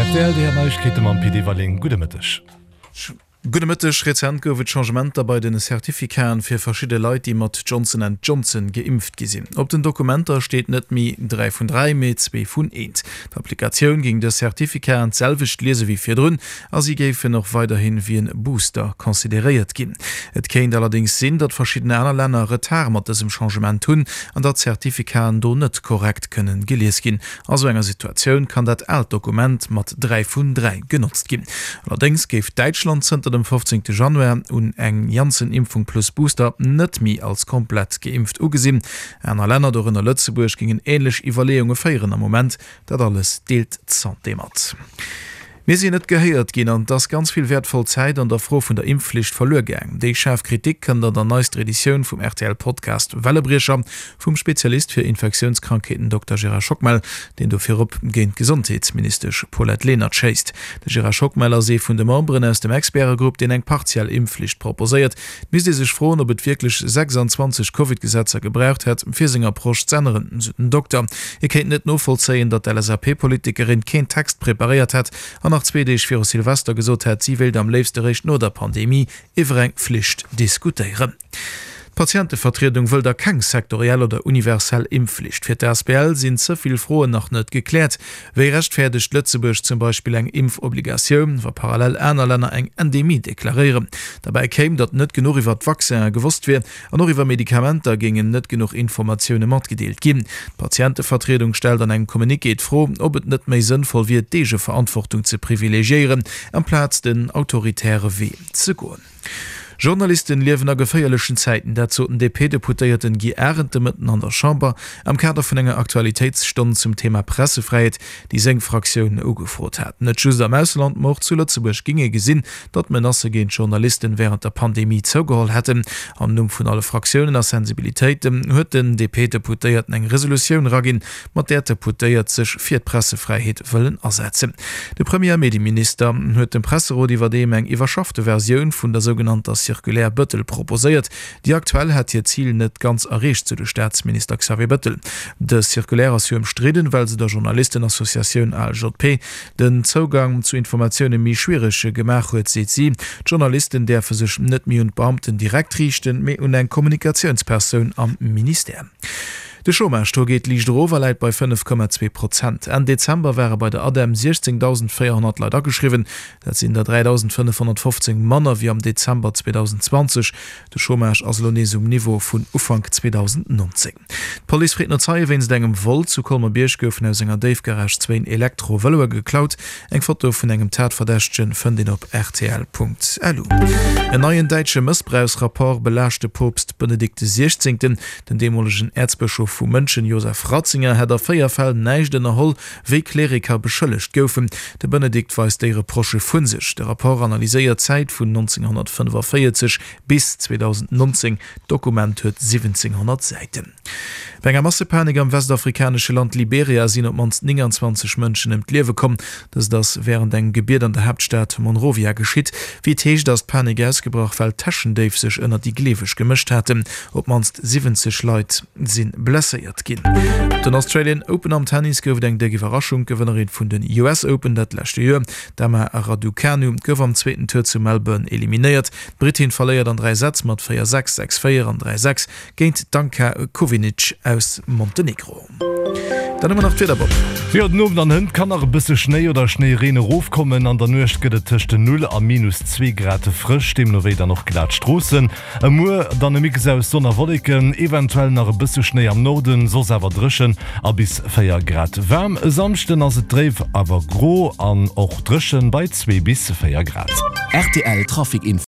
Rtl, déi Neiegkeete mam Pit Everling. Gudde Mëtteg. Gudde Mëtteg. Rezent gouf et Changementer bei den Certificaten fir verschidde Leit, déi mat Johnson and Johnson geimpft gi sinn. Op den Dokumenter steet net méi 3 vun 3, mee 2 vun 1. D'Applikatioun géing dës Certificaten d'selwecht liese wéi virdrun a si géifen och weiderhin wéi en Booster consideréiert ginn. Et kéint allerdéngs sinn, datt verschidden aner Länner Retard mat dësem Changement hunn an datt d'Certificaten do net korrekt kënnen gelies ginn. A sou enger Situatioun kann dat aalt Dokument mat 3 vun 3 genotzt ginn. Allerdéngs géif Däitschland zënter dem 15 Januar un eng Janssen-Impfung plus Booster net méi als komplett geimpft ugesinn. Aner Länner, dorënner Lëtzebuerg, géingen änlech Iwwerleeunge féieren am Moment. Dat alles deelt d'Santé mat. Mir sinn net gehéiert ginn an et ass ganz vill wäertvoll Zäit an der Fro vun der Impfflicht verluer gaang. Déi schaarf Kritik kënnt an der neister Editioun vum RTL-Podcast Wellebriecher vum Spezialist fir Infektiounskrankheeten Dokter Gérard Schockmel, deen do virop géint d'Gesondheetsministesch Paulette Lenert schéisst. De Gérard Schockmel ass ee vun de Memberen aus dem Expertegrupp, deen eng partiell Impfflicht proposéiert. Et misst ee sech froen, ob et wierklech 26 Covid-Gesetzer gebraucht hätt, fir seng Approche z'änneren, sou den Dokter. Hie kéint net novollzéien, datt d'LSAP-Politikerin keen Text preparéiert hätt an nach zwee Deeg viru Silvester gesot hätt, si wéilt am léifste réischt no der Pandemie iwwer eng Flicht diskutéieren. D'Patientevertriedung wëll da keng sektoriell oder universell Impfflicht. Fir d'ASBL sinn ze vill Froen nach net gekläert. Wéi rechtfäerdegt Lëtzebuerg zum Beispill eng Impfobligatioun, wa parallel aner Länner eng Endemie deklaréieren? Derbäi kéim, datt net genuch iwwer d'Vaccinen gewosst wier an och iwwer Medikamenter géingen net genuch Informatioune matgedeelt ginn. D'Patientevertriedung stellt an engem Communiqué d'Fro, ob et net méi sënnvoll wier, d'Eegeverantwortung ze privilegiéieren, amplaz den autoritäre Wee ze goen. Journalisten liewen a geféierlechen Zäiten, dat sot den DP-Deputéierten Guy Arendt de Mëtten an der Chamber am Kader vun enger Aktualitéitsstonn zum Thema Pressefräiheet, déi seng Fraktioun ugefrot hat. Net just am Ausland, ma och zu Lëtzebuerg géing ee gesinn, datt d'Menacë géint Journalisten wärend der Pandemie zougeholl hätten. Am Numm vun alle Fraktiounen a Sensibilitéiten huet den DP-Deputéierten eng Resolutioun eraginn, mat där d'Deputéiert sech fir d'Pressefräiheet wëllen asetzen. De Premier a Medieminister huet dem Presserot iwwerdeem eng iwwerschaffte Versioun vun der sougenannter Circulaire Bettel proposéiert. Déi aktuell hätt hiert Zil net ganz erreecht, sou de Staatsminister Xavier Bettel. Dës Circulaire ass jo ëmstridden, well se der Journalistenassociatioun ALJP den Zougang zu Informatioune méi schwiereg gemaach huet, seet si. D'Journalisten däerfe sech net méi un d'Beamten direkt riichten, mee un eng Kommunikatiounspersoun am Ministère. De Chômage-Taux geet liicht erof a läit bei 5,2 Prozent. Enn Dezember ware bei der ADEM 16.400 Leit ageschriwwen. Dat sinn der 3.515 manner wéi am Dezember 2020. De Chômage ass elo nees um Niveau vun Ufank 2019. D'Police freet no Zeie wéinst engem Vol. Zu Colmer-Bierg goufen aus enger Déifgarage zwéin Elektro-Vëloe geklaut. Eng Foto vun engem Tatverdächtegen fënnt een op rtl.lu. En neien däitsche Mëssbrauchsrapport belaascht de Poopst Benedikt XVI. Den deemolegen Äerzbëschof vu Mënchen, Joseph Ratzinger, hätt a 4 Fäll näischt ënnerholl, wéi Kleriker beschëllegt goufen. De Benedikt weist déi Reprochë vu sech. De Rapport analyséiert d'Zäit vun 1945 bis 2019. D'Dokument huet 1700 Säiten. Bei enger Massepanik am westafrikanesche Land Liberia sinn op d'mannst 29 Mënschen ëm d'Liewe komm. Dëst ass wärend engem Gebiet an der Haaptstad Monrovia geschitt. Wéi et heescht, ass d'Panik ausgebrach, well Täschendéif sech ënner déi Gleeweg gemëscht haten. Op d'mannst 70 Leit si blesséiert ginn. Op den Australian Open am Tennis gouf et eng déck Iwwerraschung. D'Gewënnerin vun den US Open dat leschte Joer, d'Emma Raducanu, gouf am zweeten Tour zu Melbourne eliminéiert. D'Brittin verléiert an 3 Sätz mat 4, 6, 6, 4 an 3, 6 géint d'Anka Kovinic aus Montenegro. Dann hu mer nach d'Wieder, Bob. Jo, den Owend an hënt kann nach e bësse Schnéi oder Schnéireen erofkommen. An der Nuecht gëtt et tëscht 0 a minus 2 Grad frësch, deemno wéi dann och glat Stroossen. E Muer dann e Mix aus Sonn a Wolleken, eventuell nach e bësse Schnéi am Norden, soss awer dréchen a bis 4 Grad waarm. E Samschden ass et dréif awer gro an och dréchen bei 2 bis 4 Grad. Rtl Trafic Info.